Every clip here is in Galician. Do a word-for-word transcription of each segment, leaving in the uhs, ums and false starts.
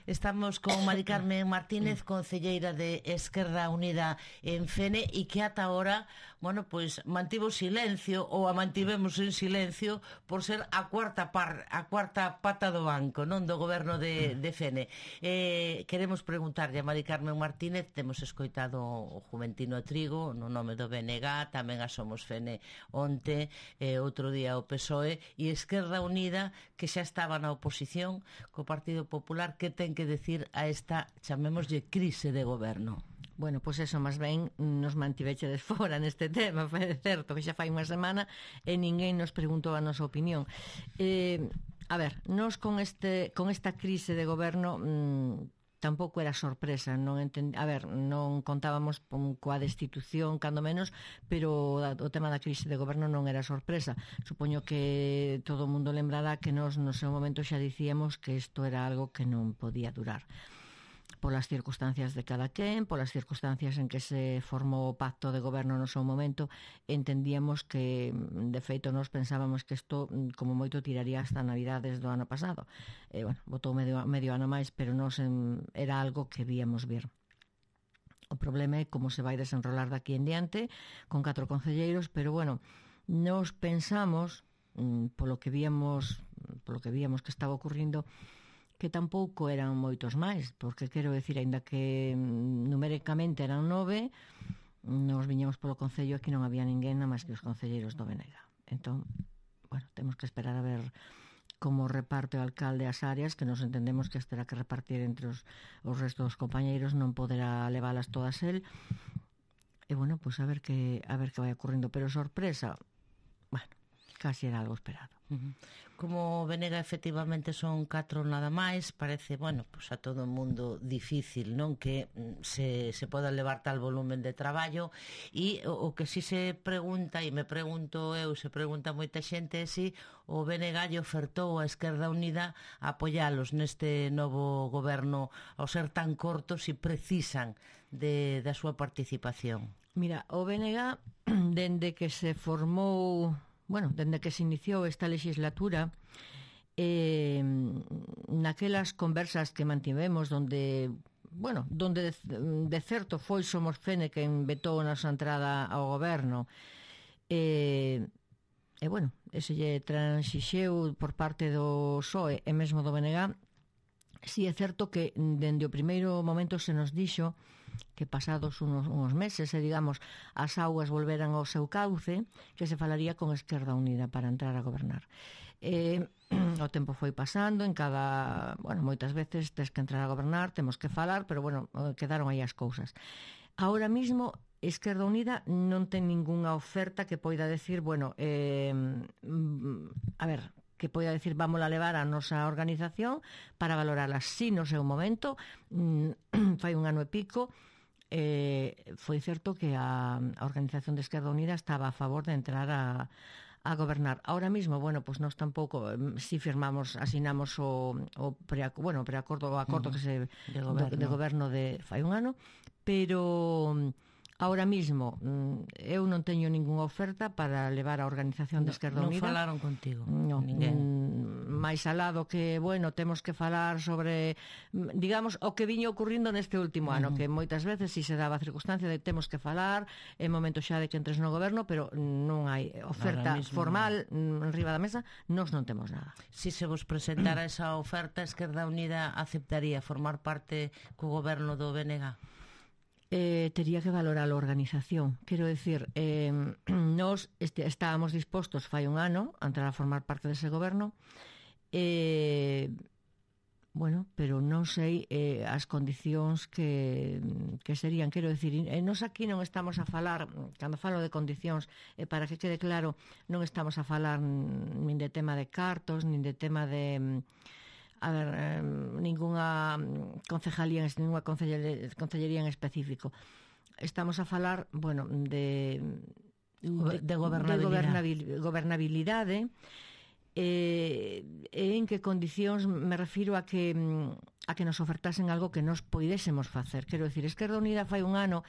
Estamos con Mari Carmen Martínez, concelleira de Esquerda Unida en Fene, e que ata ahora, bueno, pois mantivo silencio, ou a mantivemos en silencio por ser a cuarta par, a cuarta pata do banco, non, do goberno de, de Fene. Eh, queremos preguntarlle a Mari Carmen Martínez, temos escoitado o Juventino Trigo no nome do B N G, tamén a Somos Fene onte, eh, outro día o P S O E, e Esquerda Unida, que xa estaba na oposición co Partido Popular. Que ten que decir a esta, chamémoslle, crise de goberno? Bueno, pois pues eso, máis ben nos mantivechedes fora neste tema, é certo que xa fai unha semana e ninguén nos preguntou a nosa opinión. Eh, a ver, nos con este con esta crise de goberno mmm, tampouco era sorpresa, non entend... a ver, non contábamos coa destitución, cando menos, pero o tema da crise de goberno non era sorpresa. Supoño que todo o mundo lembrará que nos no seu momento xa dicíamos que isto era algo que non podía durar, polas circunstancias de cada quen, polas circunstancias en que se formou o pacto de goberno no seu momento. Entendíamos que, de feito, nos pensábamos que isto, como moito, tiraría hasta Navidades do ano pasado. E, bueno, botou medio, medio ano máis, pero nos en, era algo que víamos vir. O problema é como se vai desenrolar daqui en diante, con catro concelleiros, pero, bueno, nos pensamos, polo que víamos, polo que víamos que estaba ocurrindo, que tampouco eran moitos máis, porque quero decir, aínda que numéricamente eran nove, nos viñamos polo Concello, aquí non había ninguén nada máis que os concelleiros do B N G. Entón, bueno, temos que esperar a ver como reparte o alcalde as áreas, que nos entendemos que as terá que repartir entre os, os restos dos compañeiros, non poderá leválas todas el. E bueno, pois pues a ver que a ver que vai ocurrindo, pero sorpresa, bueno, casi era algo esperado. Uh-huh. Como Venega efectivamente son catro nada máis, parece, bueno, pues a todo o mundo difícil, non, que se, se poda levar tal volumen de traballo. E o, o que si se pregunta, e me pregunto eu, se pregunta moita xente, é si o B N G lle ofertou a Esquerda Unida a apoialos neste novo goberno ao ser tan cortos e precisan de, da súa participación. Mira, o B N G, dende que se formou, bueno, dende que se iniciou esta legislatura, eh, naquelas conversas que mantivemos donde, bueno, donde de, de certo foi Somos Fene quen vetou a nosa entrada ao goberno, e, e bueno, ese lle transixeu por parte do P S O E e mesmo do B N G. Si é certo que dende o primeiro momento se nos dixo que pasados unos, unos meses, e digamos, as augas volveran ao seu cauce, que se falaría con Esquerda Unida para entrar a gobernar. Eh, o tempo foi pasando, en cada, bueno, moitas veces tes que entrar a gobernar, temos que falar, pero bueno, quedaron aí as cousas. Ahora mismo Esquerda Unida non ten ningunha oferta que poida decir, bueno, eh, a ver, que poida decir, vamos a levar a nosa organización para valorarla. Si no seu momento, fai un ano e pico, eh, foi certo que a, a organización de Esquerda Unida estaba a favor de entrar a, a gobernar. Ahora mismo, bueno, pues nós tampouco, si firmamos, asinamos o, o pre, bueno, preacordo, o acordo uh-huh. que se de goberno. de, de goberno de fai un ano, pero ahora mismo eu non teño ningunha oferta para levar a organización de Esquerda no, Unida. Non falaron contigo? Non, máis alado que, bueno, temos que falar sobre, digamos, o que viña ocurrindo neste último ano, uh-huh. que moitas veces si se daba a circunstancia de temos que falar en momento xa de que entres no goberno, pero non hai oferta formal en riba da mesa, nós non temos nada. Si se vos presentara esa oferta, Esquerda Unida aceptaría formar parte co goberno do B N G? Eh, tería que valorar a organización. Quero decir, eh, nos este, estábamos dispostos fai un ano a entrar a formar parte dese goberno, eh, bueno, pero non sei eh, as condicións que, que serían, quero decir, eh, nos aquí non estamos a falar, cando falo de condicións, eh, para que quede claro, non estamos a falar nin de tema de cartos, nin de tema de a ver, eh, ninguna concejalía, ninguna concellería en específico. Estamos a falar, bueno, de de, de gobernabilidade, de gobernabilidade, gobernabilidade eh, en que condicións me refiro a que a que nos ofertasen algo que nos poidésemos facer. Quero decir, Esquerda Unida fai un ano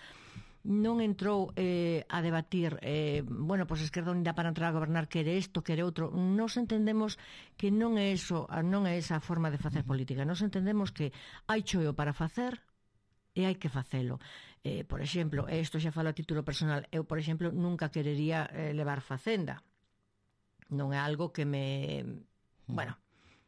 non entrou eh, a debatir eh, bueno, pois pues Esquerda Unida para entrar a gobernar quere isto, quere outro. Nos entendemos que non é eso, non é esa a forma de facer política. Nos entendemos que hai choio para facer e hai que facelo. Eh, por exemplo, isto xa falo a título personal, eu, por exemplo, nunca querería eh, levar Facenda. Non é algo que me... Bueno,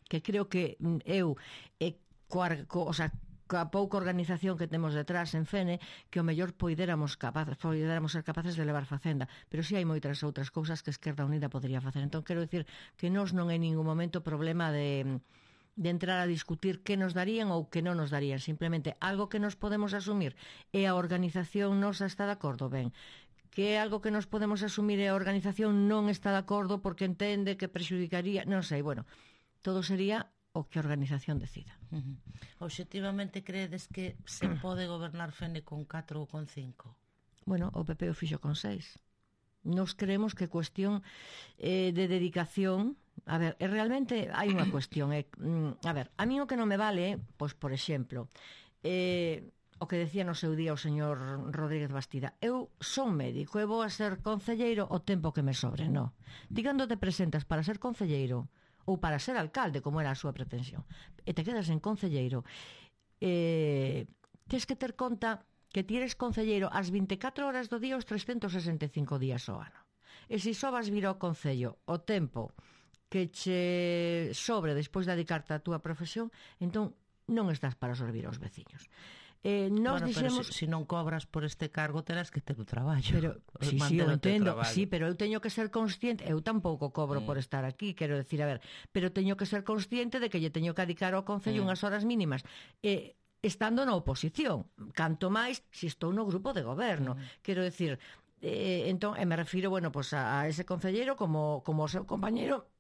que creo que eu, eh, coa, co, o sea, coa pouca organización que temos detrás en Fene, que o mellor poidéramos, capaz, poidéramos ser capaces de levar Facenda, pero si hai moitas outras cousas que Esquerda Unida podría facer. Entón, quero dicir que nós non hai ningún momento problema de, de entrar a discutir que nos darían ou que non nos darían, simplemente algo que nos podemos asumir e a organización nos está de acordo, ben, que é algo que nos podemos asumir e a organización non está de acordo porque entende que prexudicaría, non sei, bueno, todo sería o que a organización decida. Uh-huh. Obxectivamente, credes que se pode gobernar Fene con catro ou con cinco? Bueno, o P P o fixo con seis. Nos creemos que cuestión eh, de dedicación... A ver, eh, realmente hai unha cuestión. Eh, a ver, a mí o que non me vale, pois, por exemplo, eh, o que decía no seu día o señor Rodríguez Bastida, eu son médico e vou a ser concelleiro o tempo que me sobre, non. Ti cando te presentas para ser concelleiro ou para ser alcalde, como era a súa pretensión, e te quedas en concelleiro, eh, tens que ter conta que ti eres concelleiro as vinte e catro horas do día os trescentos sesenta e cinco días ao ano. E se só vas vir ao concello o tempo que che sobre despois de dedicarte á túa profesión, entón non estás para servir aos veciños. Eh, nos bueno, dixemos... pero se si, si non cobras por este cargo terás que ter o traballo. Pero, sí, sí, eu entendo, sí, pero eu teño que ser consciente, eu tampouco cobro mm. por estar aquí, quero decir, a ver, pero teño que ser consciente de que lle teño que dedicar ao concello mm. unhas horas mínimas. Eh, estando na oposición, canto máis se estou no grupo de goberno. Mm. Quero decir, eh, entón, e me refiro, bueno, pues a, a ese concelleiro como, como o seu compañeiro,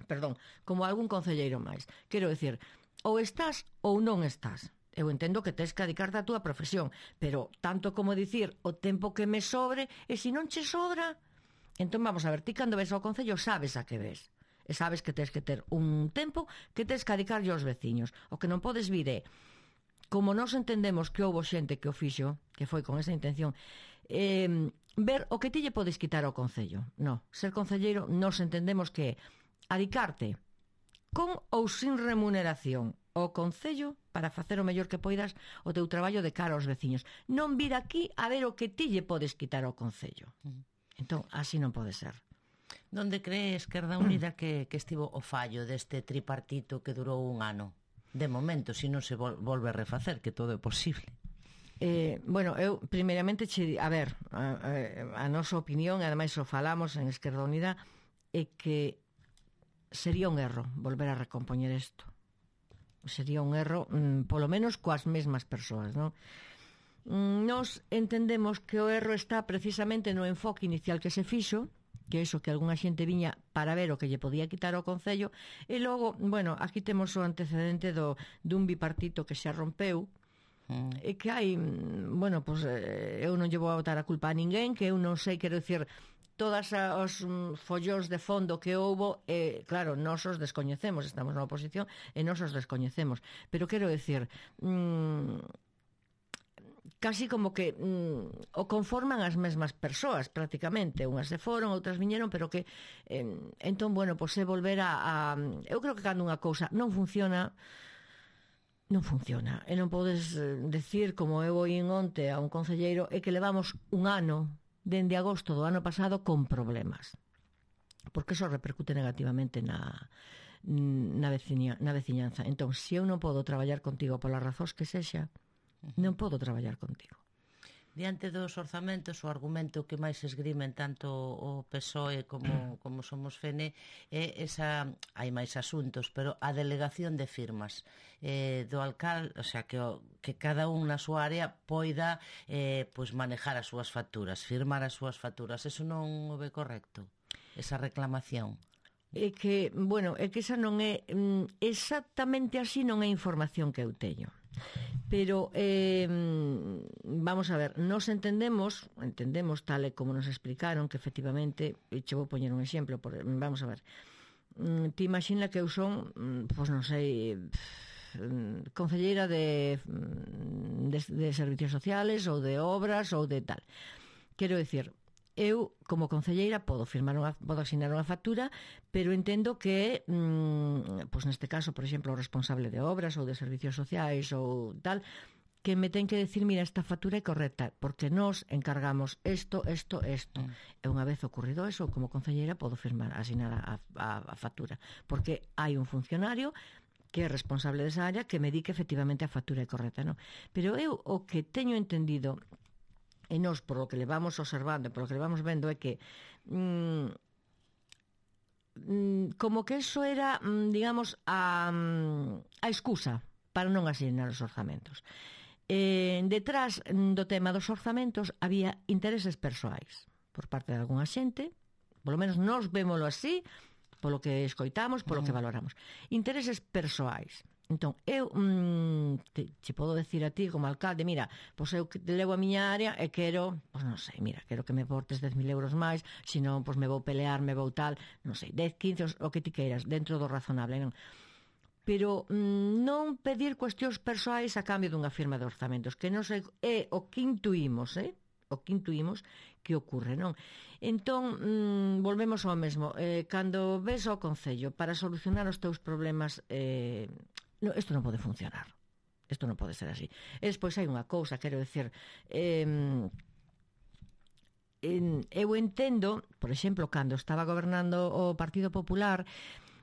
perdón, como algún concelleiro máis. Quero decir, ou estás ou non estás. Eu entendo que tens que dedicarte a túa profesión, pero tanto como dicir o tempo que me sobre, e se non che sobra, entón vamos a ver, ti cando ves ao concello sabes a que ves, e sabes que tens que ter un tempo que tens que dedicarlle aos veciños. O que non podes vir é, como nos entendemos que houbo xente que o fixo, que foi con esa intención, eh, ver o que ti lle podes quitar ao concello. No, ser concelleiro nos entendemos que adicarte con ou sin remuneración ao concello para facer o mellor que poidas o teu traballo de cara aos veciños. Non vir aquí a ver o que ti lle podes quitar ao concello. Entón, así non pode ser. Donde cree Esquerda Unida que, que estivo o fallo deste tripartito que durou un ano? De momento, se non se vol volve a refacer, que todo é posible. Eh, bueno, eu, primeiramente, che, a ver, a, a, a nosa opinión, ademais o falamos en Esquerda Unida, é que sería un erro volver a recompoñer isto. Sería un erro, mmm, polo menos coas mesmas persoas, non? Nos entendemos que o erro está precisamente no enfoque inicial que se fixo, que é iso que algunha xente viña para ver o que lle podía quitar ao concello, e logo, bueno, aquí temos o antecedente do, dun bipartito que xa rompeu, mm. e que hai, bueno, pois pues, eu non lle vou a botar a culpa a ninguén, que eu non sei, quero dicir, todas os um, follóns de fondo que houbo, eh, claro, nós os descoñecemos, estamos na oposición e nós os descoñecemos, pero quero decir, mmm, casi como que mmm, o conforman as mesmas persoas prácticamente, unhas se foron, outras viñeron, pero que eh, entón, bueno, pois é volver a, a eu creo que cando unha cousa non funciona, non funciona, e non podes eh, decir, como eu oí onte a un concelleiro, é que levamos un ano dende agosto do ano pasado con problemas, porque eso repercute negativamente na, na, veciña, na veciñanza. Entón, se eu non podo traballar contigo polas razóns que sexa, non podo traballar contigo. Diante dos orzamentos, o argumento que máis esgrimen tanto o P S O E como, como Somos Fene é esa, hai máis asuntos, pero a delegación de firmas eh, do alcalde, o sea, que, o, que cada un na súa área poida eh, pues manejar as súas facturas, firmar as súas facturas. Eso non o ve correcto, esa reclamación? É que, bueno, é que esa non é mm, exactamente así, non é información que eu teño. Pero eh, vamos a ver, nos entendemos entendemos tal e como nos explicaron que efectivamente, e che vou poñer un exemplo por, vamos a ver, ti imagina que eu son, pois non sei, concelleira de, de, de servicios sociales ou de obras ou de tal. Quero dicir, eu, como concelleira, podo firmar unha, podo asignar unha factura, pero entendo que, mmm, pois neste caso, por exemplo, o responsable de obras ou de servicios sociais ou tal, que me ten que decir, mira, esta factura é correcta, porque nós encargamos isto, isto, isto. Mm. E unha vez ocurrido eso, como concelleira, podo firmar, asignar a, a, a factura, porque hai un funcionario que é responsable desa área que me di que efectivamente a factura é correcta, non? Pero eu o que teño entendido, e nós, por o que levamos observando, por o que levamos vendo, é que mmm, mmm, como que eso era, mmm, digamos, a, a excusa para non asignar os orzamentos. Eh, detrás do tema dos orzamentos había intereses persoais por parte de algunha xente, polo menos nós vémolo así, polo que escoitamos, polo que valoramos. Intereses persoais. Entón, eu mmm, te, te podo decir a ti como alcalde, mira, pois eu levo a miña área e quero, pois non sei, mira, quero que me portes dez mil euros máis, senón, pois me vou pelear, me vou tal, non sei, dez, quince, o que ti queiras, dentro do razonable, non? Pero mmm, non pedir cuestións persoais a cambio dunha firma de orzamentos, que non sei, é o que intuímos, eh? o que intuímos que ocorre, non? Entón, mmm, volvemos ao mesmo. Eh, cando ves ao Concello para solucionar os teus problemas, eh, no, isto non pode funcionar. Isto non pode ser así. E despois hai unha cousa, quero decir, eh, en, eu entendo, por exemplo, cando estaba gobernando o Partido Popular,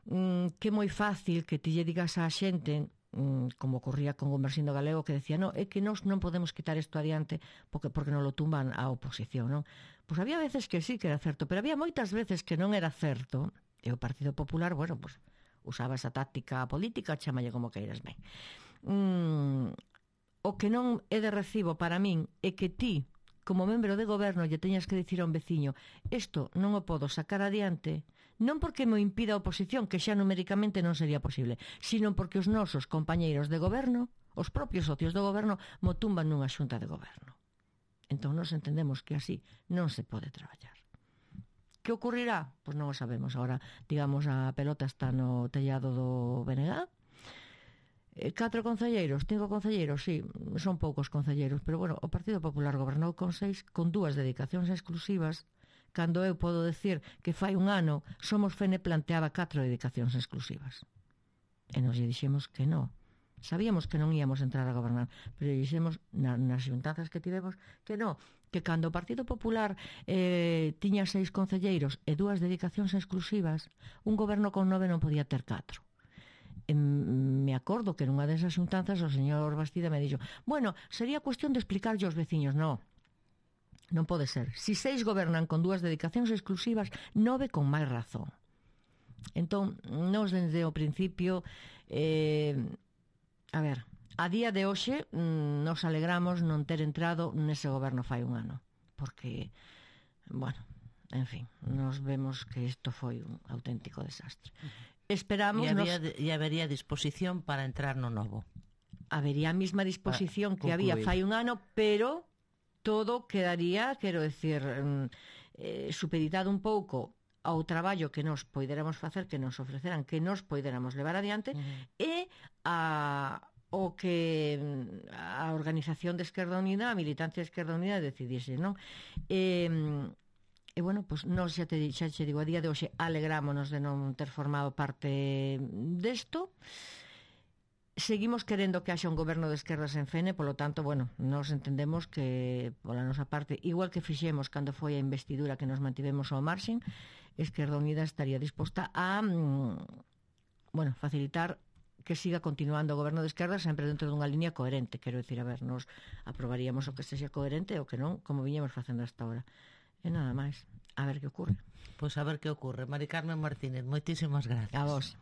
mm, que é moi fácil que ti lle digas á xente, como ocorría con Gumersindo Galego, que decía, no, é que nós non podemos quitar isto adiante porque, porque non lo tumban a oposición, non? Pois había veces que sí que era certo, pero había moitas veces que non era certo, e o Partido Popular, bueno, pois usaba esa táctica política, chamalle como queiras ben. Mm, o que non é de recibo para min é que ti, como membro de goberno, lle teñas que dicir a un veciño, isto non o podo sacar adiante, non porque me impida a oposición, que xa numéricamente non sería posible, sino porque os nosos compañeiros de goberno, os propios socios do goberno, mo tumban nunha xunta de goberno. Entón nos entendemos que así non se pode traballar. Que ocurrirá? Pois non o sabemos. Ahora, digamos, a pelota está no tellado do B N G. Eh, catro concelleiros, cinco concelleiros, sí, son poucos concelleiros, pero bueno, o Partido Popular gobernou con seis, con dúas dedicacións exclusivas, cando eu podo decir que fai un ano Somos Fene planteaba catro dedicacións exclusivas. E nos lle dixemos que non. Sabíamos que non íamos entrar a gobernar, pero lle dixemos na, nas xuntanzas que tivemos que non, que cando o Partido Popular eh, tiña seis concelleiros e dúas dedicacións exclusivas, un goberno con nove non podía ter catro. E me acordo que nunha desas xuntanzas o señor Bastida me dixo, bueno, sería cuestión de explicarlle aos veciños. Non. Non pode ser. Si seis gobernan con dúas dedicacións exclusivas, nove con máis razón. Entón, nos desde o principio, eh, a ver, a día de hoxe nos alegramos non ter entrado nese goberno fai un ano. Porque, bueno, en fin, nos vemos que isto foi un auténtico desastre. Esperamos... E, había, nos... e habería disposición para entrar no novo. Habería a mesma disposición que había fai un ano, pero... todo quedaría, quero decir, eh, supeditado un pouco ao traballo que nos poderamos facer, que nos ofreceran, que nos poderamos levar adiante, uh-huh. e a, o que a Organización de Esquerda Unida, a militancia de Esquerda Unida decidise, non? E, e bueno, pues, nos xa te, xa te digo, a día de hoxe alegrámonos de non ter formado parte desto. Seguimos querendo que haxa un goberno de esquerdas en Fene, polo tanto, bueno, nos entendemos que, pola nosa parte, igual que fixemos cando foi a investidura que nos mantivemos ao marxen, Esquerda Unida estaría disposta a, bueno, facilitar que siga continuando o goberno de esquerda sempre dentro dunha línea coherente. Quero dicir, a ver, nos aprobaríamos o que sexa coherente ou que non, como viñemos facendo hasta ahora. E nada máis. A ver que ocurre. Pois a ver que ocurre. Mari Carmen Martínez, moitísimas gracias. A vos.